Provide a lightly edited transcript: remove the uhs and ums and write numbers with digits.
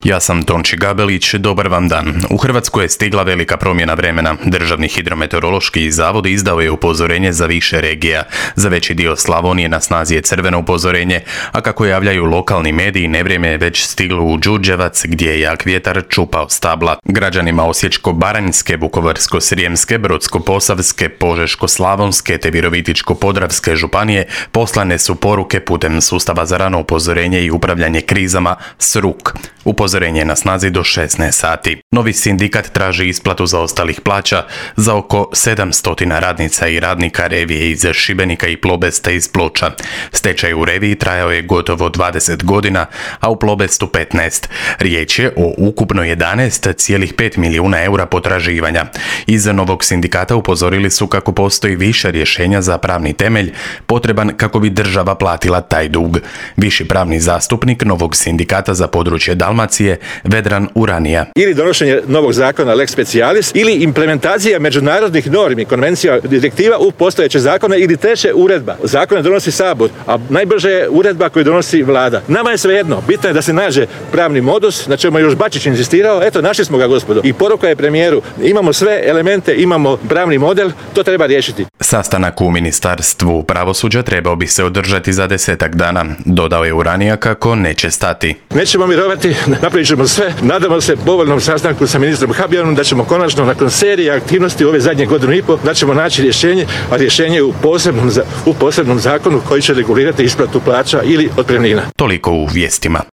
Ja sam Tonči Gabelić, dobar vam dan. U Hrvatsku je stigla velika promjena vremena. Državni hidrometeorološki zavod izdao je upozorenje za više regija. Za veći dio Slavonije na snazi je crveno upozorenje, a kako javljaju lokalni mediji, nevrijeme je već stiglo u Đurđevac gdje je jak vjetar čupao stabla. Građanima Osječko-baranjske, Vukovarsko-srijemske, Brodsko-posavske, Požeško-slavonske te Virovitičko-podravske županije poslane su poruke putem sustava za rano upozorenje i upravljanje krizama SRUK. Upozorenje je na snazi do 16 sati. Novi sindikat traži isplatu zaostalih plaća za oko 700 radnica i radnika Revije iz Šibenika i Plobesta iz Ploča. Stečaj u Reviji trajao je gotovo 20 godina, a u Plobestu 15. Riječ je o ukupno 11,5 milijuna eura potraživanja. Iz novog sindikata upozorili su kako postoji više rješenja za pravni temelj potreban kako bi država platila taj dug. Viši pravni zastupnik novog sindikata za područje Dalmacije, Vedran Uranija. Ili donošenje novog zakona lex specialis ili implementacija međunarodnih normi, konvencija, direktiva u postojeće zakone ili treće uredba. Zakone donosi Sabor, a najbrže je uredba koju donosi Vlada. Nama je svejedno, bitno je da se nađe pravni modus, na čemu je još Bačić inzistirao, eto našli smo ga gospodo. I poruka je premijeru, imamo sve elemente, imamo pravni model, to treba riješiti. Sastanak u Ministarstvu pravosuđa trebao bi se održati za 10 dana. Dodao je Uranija kako neće stati. Nećemo mirovati, napravit ćemo sve. Nadamo se povoljnom sastanku sa ministrom Habijanom da ćemo konačno nakon serije aktivnosti ove zadnje godinu i pol da ćemo naći rješenje, a rješenje je u posebnom zakonu koji će regulirati isplatu plaća ili otpremnina. Toliko u vijestima.